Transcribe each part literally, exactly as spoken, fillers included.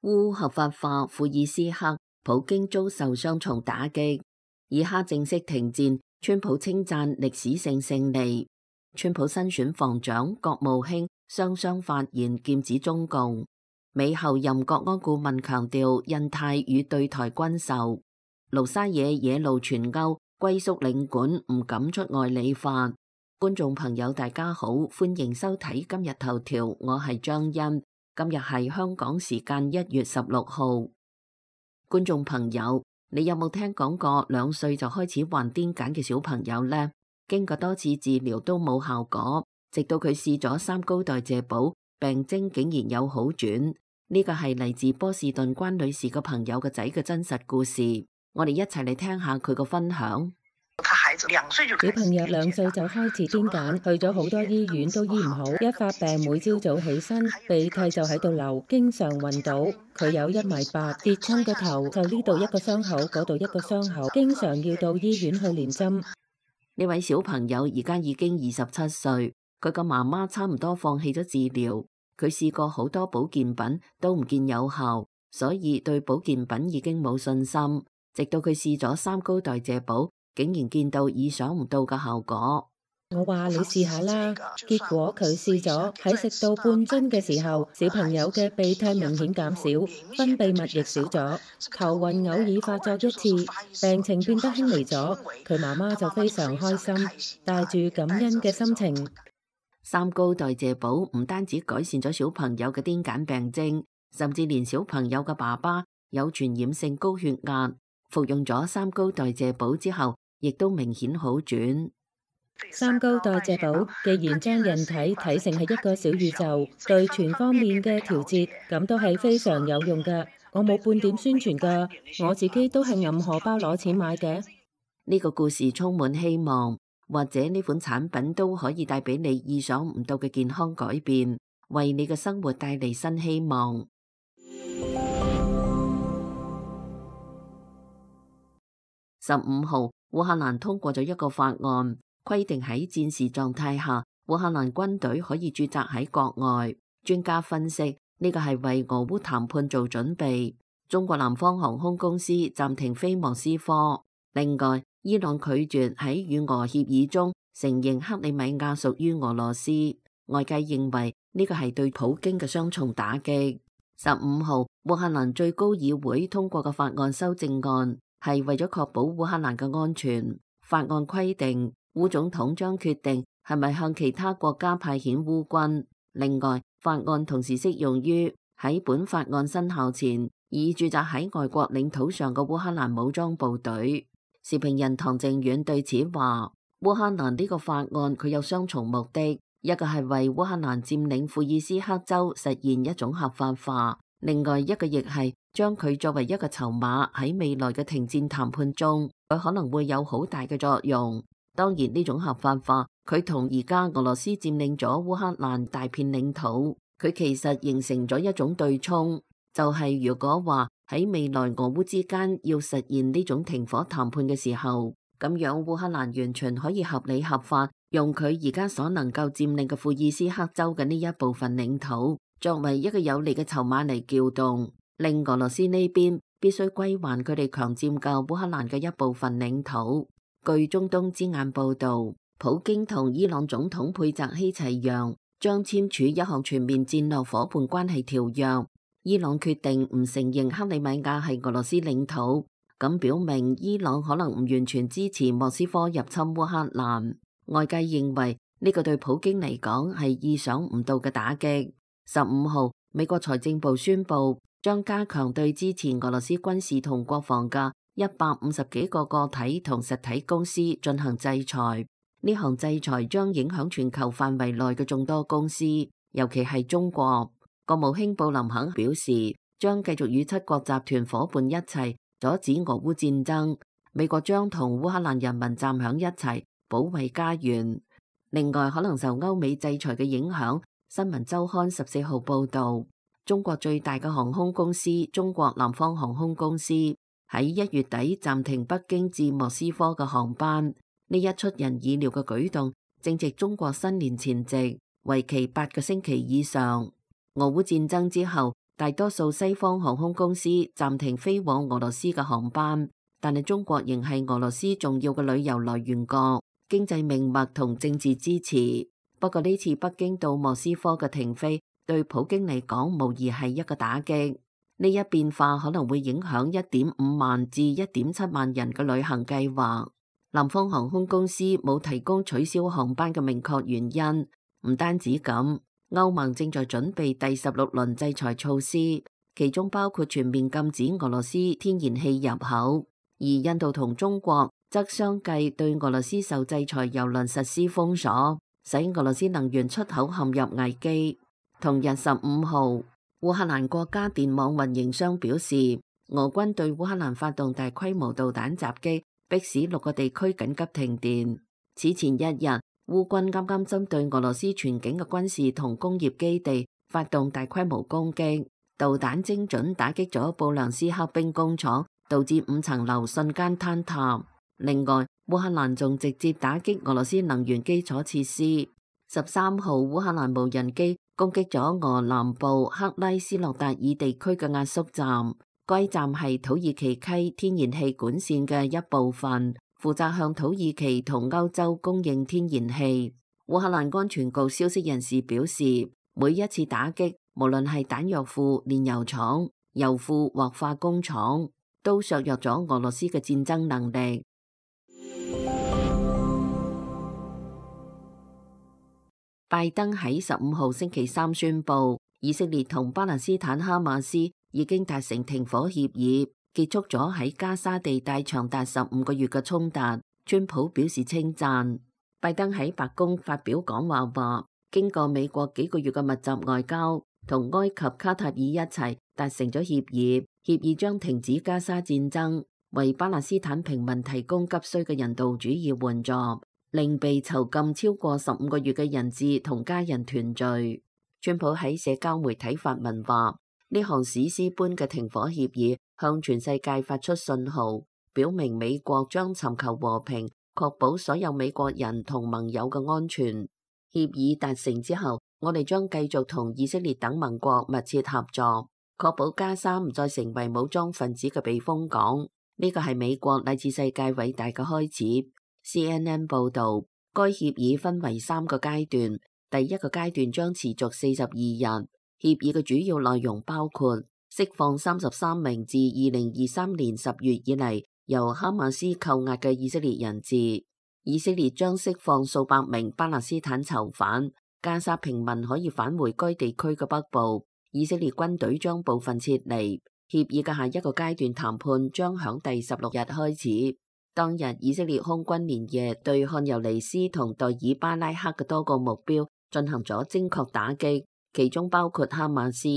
烏合法化庫爾斯克，普京遭受雙重打擊。以哈正式停戰，川普稱讚歷史性勝利。川普新選防長、國務卿雙雙發言劍指中共。美後任國安顧問強調印太與對台軍售。盧沙野野路傳歐，歸宿領館唔敢出外理法。觀眾朋友大家好，歡迎收睇今日頭條，我係張欣。今日係香港時間一月十六號。觀眾朋友，你有冇聽講過兩歲就開始患癲癇嘅小朋友呢？經過多次治療都冇效果，直到佢試咗三高代謝寶，病徵竟然有好轉。呢個係嚟自波士頓關女士個朋友個仔嘅真實故事，我哋一齊嚟聽下佢個分享。小朋友兩歲就開始癲癇，去咗好多醫院都醫唔好，一發病每朝早起身鼻涕就喺度流，經常暈倒。佢有一米八，跌親個頭就呢度一個傷口，嗰度一個傷口，經常要到醫院去連針。呢位小朋友而家已經二十七歲，佢個媽媽差唔多放棄咗治療，佢試過好多保健品都唔見有效，所以對保健品已經冇信心。直到佢試咗三高代謝寶，竟然見到意想唔到嘅效果。我話你試下啦，結果佢試咗，喺食到半樽嘅時候，小朋友嘅鼻涕明顯減少，分泌物亦少咗，頭暈偶爾發作一次，病情變得輕微咗。佢媽媽就非常開心，帶住感恩嘅心情。三高代謝寶唔單止改善咗小朋友嘅癲癇病徵，甚至連小朋友嘅爸爸有傳染性高血壓，服用咗三高代謝寶之後，亦都明顯好轉。三高代謝寶既然將人體睇成係一個小宇宙，對全方面嘅調節，咁都係非常有用㗎。我冇半點宣傳㗎，我自己都係揞荷包攞錢買嘅。呢個故事充滿希望，或者呢款產品都可以帶俾你意想唔到嘅健康改變，為你嘅生活帶嚟新希望。十五號，烏克蘭通過咗一個法案，規定喺戰時狀態下，烏克蘭軍隊可以駐紮喺國外。專家分析，呢個係為俄烏談判做準備。中國南方航空公司暫停飛莫斯科。另外，伊朗拒絕喺與俄協議中承認克里米亞屬於俄羅斯。外界認為呢個係對普京嘅雙重打擊。十五號，烏克蘭最高議會通過嘅法案修正案，係為咗確保烏克蘭嘅安全。法案規定，烏總統將決定係咪向其他國家派遣烏軍。另外，法案同時適用於喺本法案生效前已駐紮喺外國領土上嘅烏克蘭武裝部隊。時評人唐靖遠對此話：烏克蘭呢個法案佢有雙重目的，一個係為烏克蘭佔領庫爾斯克州實現一種合法化，另外一個亦係將佢作為一個籌碼，喺未來嘅停戰談判中，佢可能會有好大嘅作用。當然呢種合法化，佢同而家俄羅斯佔領咗烏克蘭大片領土，佢其實形成咗一種對沖，就係、是、如果話喺未來俄烏之間要實現呢種停火談判嘅時候，咁樣烏克蘭完全可以合理合法用佢而家所能夠佔領嘅庫爾斯克州嘅呢一部分領土，作為一個有利嘅籌碼嚟撬動，令俄羅斯呢邊必須歸還佢哋強佔嘅烏克蘭嘅一部分領土。據中東之眼報道，普京同伊朗總統佩澤希齊揚將簽署一項全面戰略夥伴關係條約。伊朗決定唔承認克里米亞係俄羅斯領土，咁表明伊朗可能唔完全支持莫斯科入侵烏克蘭。外界認為呢個對普京嚟講係意想唔到嘅打擊。十五號，美國財政部宣布將加強對支持俄羅斯軍事同國防嘅一百五十幾個個體同實體公司進行制裁。呢項制裁將影響全球範圍內嘅眾多公司，尤其係中國。國務卿布林肯表示，將繼續與七國集團夥伴一齊阻止俄烏戰爭。美國將同烏克蘭人民站響一齊，保衛家園。另外，可能受歐美制裁嘅影響，新聞週刊十四號報道，中國最大嘅航空公司中國南方航空公司喺一月底暫停北京至莫斯科嘅航班。呢一出人意料嘅舉動，正值中國新年前夕，為期八個星期以上。俄烏戰爭之後，大多數西方航空公司暫停飛往俄羅斯嘅航班，但係中國仍係俄羅斯重要嘅旅遊來源國、經濟命脈同政治支持。不過呢次北京到莫斯科嘅停飛，對普京嚟講無疑係一個打擊。呢一變化可能會影響一點五萬至一點七萬人嘅旅行計劃。南方航空公司冇提供取消航班嘅明確原因。唔單止咁，歐盟正在準備第十六輪制裁措施，其中包括全面禁止俄羅斯天然氣入口。而印度同中國則相繼對俄羅斯受制裁油輪實施封鎖，使俄羅斯能源出口陷入危機。同日十五號，烏克蘭國家電網運營商表示，俄軍對烏克蘭發動大規模導彈襲擊，迫使六個地區緊急停電。此前一日，烏軍啱啱針對俄羅斯全境嘅軍事同工業基地發動大規模攻擊，導彈精準打擊咗布良斯克兵工廠，導致五層樓瞬間坍塌。另外，烏克蘭仲直接打擊俄羅斯能源基礎設施。十三號，烏克蘭無人機攻擊咗俄南部克拉斯諾達爾地區嘅壓縮站，該站係土耳其溪天然氣管線嘅一部分，負責向土耳其同歐洲供應天然氣。烏克蘭安全局消息人士表示，每一次打擊，無論係彈藥庫、煉油廠、油庫或化工廠，都削弱咗俄羅斯嘅戰爭能力。拜登喺十五號星期三宣布，以色列同巴勒斯坦哈馬斯已經達成停火協議，結束咗喺加沙地帶長達十五個月嘅衝突。川普表示稱讚。拜登喺白宮發表講話話，經過美國幾個月嘅密集外交，同埃及、卡塔爾一齊達成咗協議，協議將停止加沙戰爭，為巴勒斯坦平民提供急需嘅人道主義援助，令被囚禁超過十五個月嘅人質同家人團聚。川普喺社交媒體發文話，呢項史詩般嘅停火協議向全世界發出信號，表明美國將尋求和平，確保所有美國人同盟友嘅安全。協議達成之後，我哋將繼續同以色列等盟國密切合作，確保加沙唔再成為武裝分子嘅避風港。呢個係美國乃至世界偉大嘅開始。C N N 報導，該協議分為三個階段，第一個階段將持續四十二日。協議嘅主要內容包括釋放三十三名自二零二三年十月以嚟由哈馬斯扣押嘅以色列人質，以色列將釋放數百名巴勒斯坦囚犯，加沙平民可以返回該地區嘅北部，以色列軍隊將部分撤離。協議嘅下一個階段談判將響第十六日開始。當日，以色列空軍連夜對漢尤尼斯同代爾巴拉克嘅多個目標進行咗精確打擊，其中包括哈馬斯。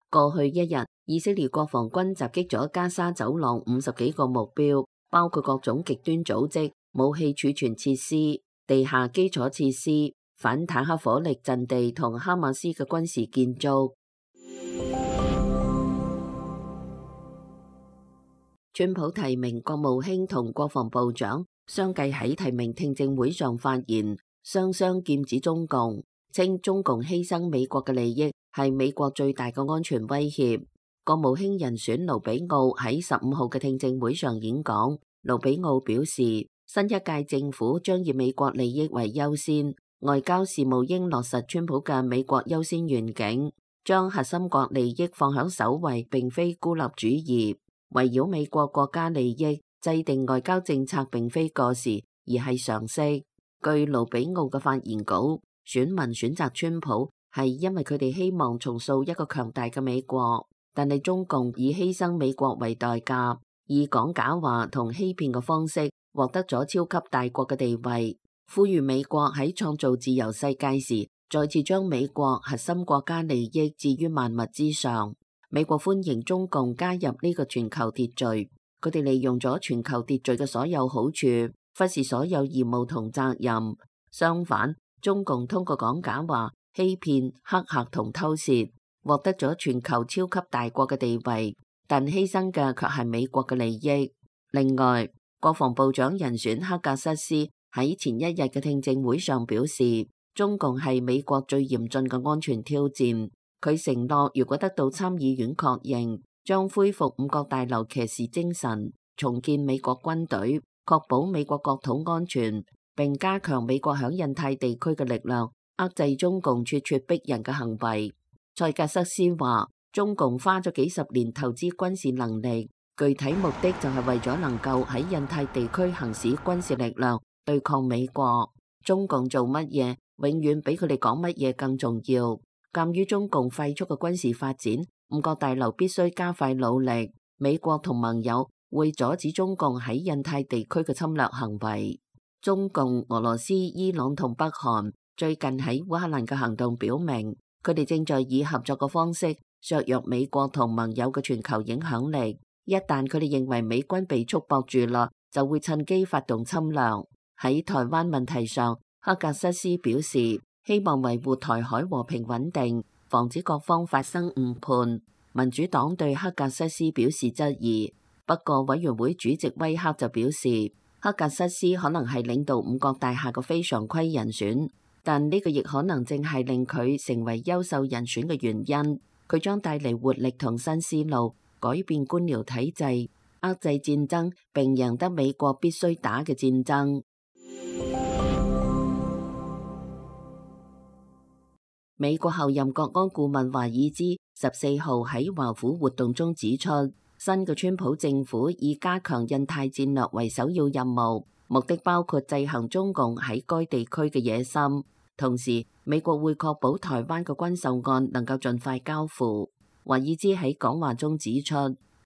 過去一日，以色列國防軍襲擊咗加沙走廊五十幾個目標，包括各種極端組織、武器儲存設施、地下基礎設施、反坦克火力陣地同哈馬斯嘅軍事建築。川普提名國務卿同國防部長相繼喺提名聽證會上發言，雙雙劍指中共，稱中共犧牲美國嘅利益係美國最大嘅安全威脅。國務卿人選盧比奧喺十五號嘅聽證會上演講，盧比奧表示，新一屆政府將以美國利益為優先，外交事務應落實川普嘅美國優先願景，將核心國利益放喺首位，並非孤立主義。圍繞美國國家利益制定外交政策並非過時，而係常識。據盧比奧嘅發言稿，選民選擇川普係因為佢哋希望重塑一個強大嘅美國，但係中共以犧牲美國為代價，以講假話同欺騙嘅方式獲得咗超級大國嘅地位。呼籲美國喺創造自由世界時，再次將美國核心國家利益置於萬物之上。美國歡迎中共加入呢個全球秩序，佢哋利用咗全球秩序嘅所有好處，忽視所有義務同責任。相反，中共通過講假話、欺騙、黑客同偷竊，獲得咗全球超級大國嘅地位，但犧牲嘅卻係美國嘅利益。另外，國防部長人選克格瑟斯喺前一日嘅聽證會上表示，中共係美國最嚴峻嘅安全挑戰。佢承諾如果得到參議院確認，將恢復五角大樓騎士精神，重建美國軍隊，確保美國國土安全，並加強美國響印太地區嘅力量，遏制中共咄咄逼人嘅行為。塞格瑟斯話，中共花咗幾十年投資軍事能力，具體目的就係為咗能夠喺印太地區行使軍事力量對抗美國。中共做乜嘢，永遠比佢哋講乜嘢更重要。鑒於中共快速嘅軍事發展，五角大樓必須加快努力。美國同盟友會阻止中共喺印太地區嘅侵略行為。中共、俄羅斯、伊朗同北韓最近喺烏克蘭嘅行動表明，佢哋正在以合作嘅方式削弱美國同盟友嘅全球影響力。一旦佢哋認為美軍被束縛住啦，就會趁機發動侵略。喺台灣問題上，赫格瑟斯表示希望維護台海和平穩定，防止各方發生誤判。民主黨對赫格瑟斯表示質疑，不過委員會主席威克就表示，赫格瑟斯可能係領導五角大廈嘅非常規人選，但呢個亦可能正係令佢成為優秀人選嘅原因。佢將帶嚟活力同新思路，改變官僚體制，遏制戰爭，並贏得美國必須打嘅戰爭。美國後任國安顧問華爾茲十四號喺華府活動中指出，新嘅川普政府以加強印太戰略為首要任務，目的包括制衡中共喺該地區嘅野心。同時，美國會確保台灣嘅軍售案能夠盡快交付。華爾茲喺講話中指出，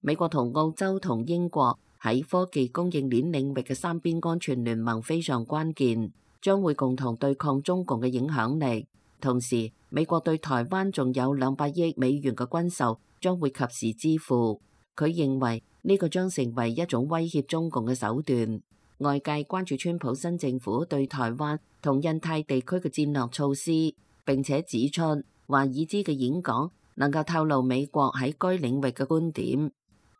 美國同澳洲同英國喺科技供應鏈領域嘅三邊安全聯盟非常關鍵，將會共同對抗中共嘅影響力。同時，美國對台灣仲有兩百億美元嘅軍售將會及時支付。佢認為呢個將成為一種威脅中共嘅手段。外界關注川普新政府對台灣同印太地區嘅戰略措施，並且指出華爾茲嘅演講能夠透露美國喺該領域嘅觀點。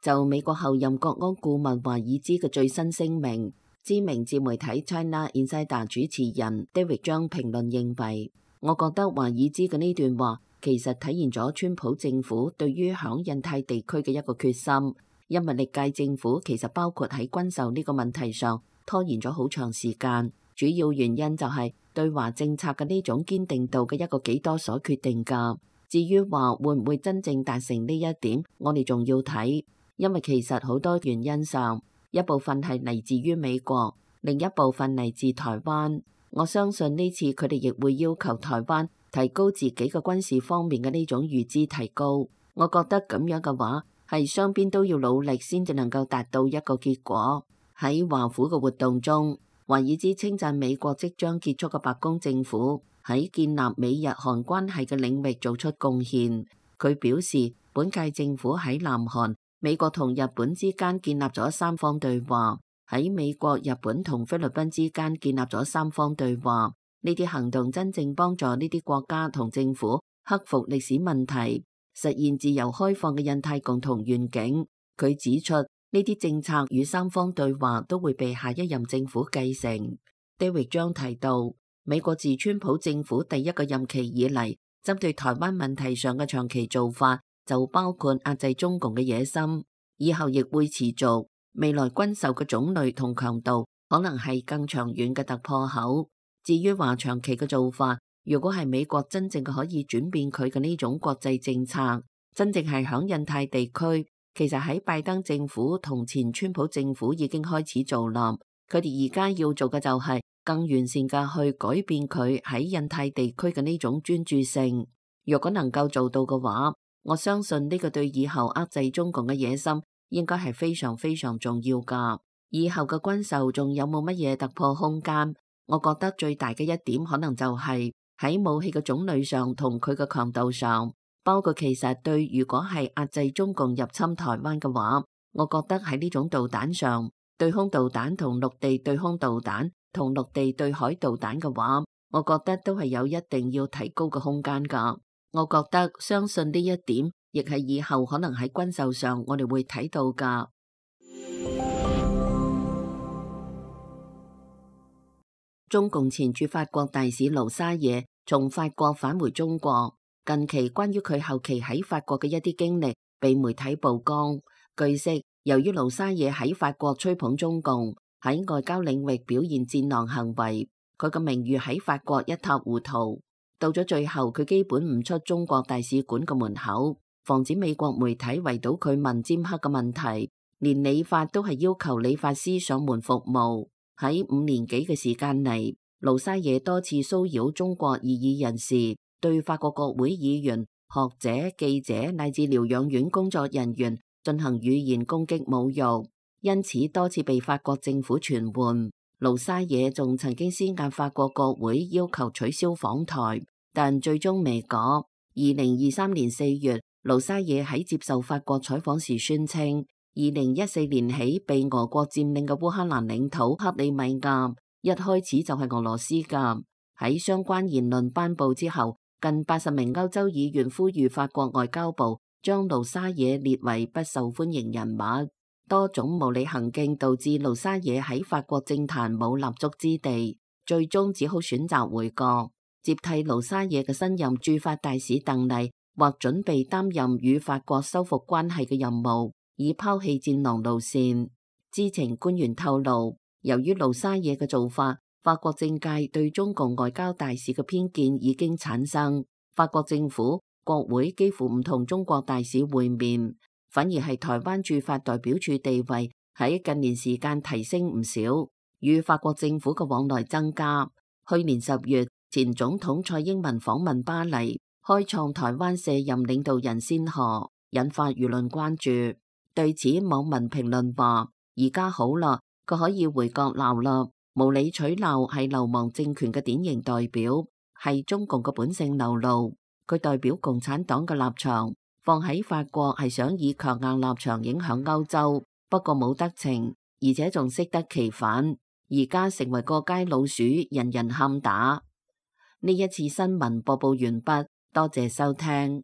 就美國後任國安顧問華爾茲嘅最新聲明，知名自媒體 China Insider 主持人 David 張評論認為，我覺得華爾茲嘅呢段話其實體現咗川普政府對於響印太地區嘅一個決心，因為歷屆政府其實包括喺軍售呢個問題上拖延咗好長時間，主要原因就係對華政策嘅呢種堅定度嘅一個幾多所決定㗎。至於話會唔會真正達成呢一點，我哋仲要睇，因為其實好多原因上，一部分係嚟自於美國，另一部分嚟自台灣。我相信呢次佢哋亦會要求台灣提高自己嘅軍事方面嘅呢種預支提高。我覺得咁樣嘅話，係雙邊都要努力先至能夠達到一個結果。喺華府嘅活動中，華爾茲稱讚美國即將結束嘅白宮政府喺建立美日韓關係嘅領域做出貢獻。佢表示，本屆政府喺南韓、美國同日本之間建立咗三方對話。喺美國、日本同菲律賓之間建立咗三方對話，呢啲行動真正幫助呢啲國家同政府克服歷史問題，實現自由開放嘅印太共同願景。佢指出，呢啲政策與三方對話都會被下一任政府繼承。David 將提到，美國自川普政府第一個任期以嚟，針對台灣問題上嘅長期做法就包括壓制中共嘅野心，以後亦會持續。未來軍售嘅種類同強度可能係更長遠嘅突破口。至於話長期嘅做法，如果係美國真正可以轉變佢嘅呢種國際政策，真正係響印太地區，其實喺拜登政府同前川普政府已經開始做啦。佢哋而家要做嘅就係更完善嘅去改變佢喺印太地區嘅呢種專注性。如果能夠做到嘅話，我相信呢個對以後遏制中共嘅野心應該係非常非常重要㗎。以後嘅軍售仲有冇乜嘢突破空間？我覺得最大嘅一點可能就係喺武器嘅種類上同佢嘅強度上，包括其實對如果係壓制中共入侵台灣嘅話，我覺得喺呢種導彈上，對空導彈同陸地對空導彈同陸地對海導彈嘅話，我覺得都係有一定要提高嘅空間㗎。我覺得相信呢一點亦係以後可能喺軍售上我哋會睇到㗎。中共前駐法國大使盧沙野從法國返回中國。近期關於佢後期喺法國嘅一啲經歷被媒體曝光。據悉，由於盧沙野喺法國吹捧中共，喺外交領域表現戰狼行為，佢嘅名譽喺法國一塌糊塗。到咗最後，佢基本唔出中國大使館嘅門口，防止美國媒體圍堵佢問尖刻嘅問題。連理髮都係要求理髮師上門服務。喺五年幾嘅時間嚟，盧沙野多次騷擾中國異議人士，對法國國會議員、學者、記者乃至療養院工作人員進行語言攻擊侮辱，因此多次被法國政府傳喚。盧沙野仲曾經施壓法國國會要求取消訪台，但最終未果。二零二三年四月，盧沙野喺接受法國採訪時宣稱，二零一四年起被俄國佔領嘅烏克蘭領土克里米亞一開始就係俄羅斯㗎。喺相關言論頒布之後，近八十名歐洲議員呼籲法國外交部將盧沙野列為不受歡迎人物。多種無理行徑導致盧沙野喺法國政壇冇立足之地，最終只好選擇回國。接替盧沙野嘅新任駐法大使鄧麗或準備擔任與法國修復關係嘅任務，以拋棄戰狼路線。知情官員透露，由於盧沙野嘅做法，法國政界對中共外交大使嘅偏見已經產生。法國政府、國會幾乎唔同中國大使會面，反而係台灣駐法代表處地位喺近年時間提升唔少，與法國政府嘅往來增加。去年十月，前總統蔡英文訪問巴黎，開創台灣卸任領導人先河，引發輿論關注。對此，網民評論話：而家好啦，佢可以回國鬧啦。無理取鬧係流亡政權嘅典型代表，係中共嘅本性流露。佢代表共產黨嘅立場，放喺法國係想以強硬立場影響歐洲，不過冇得逞，而且仲適得其反。而家成為過街老鼠，人人喊打。呢一次新聞播報完畢，多謝收聽。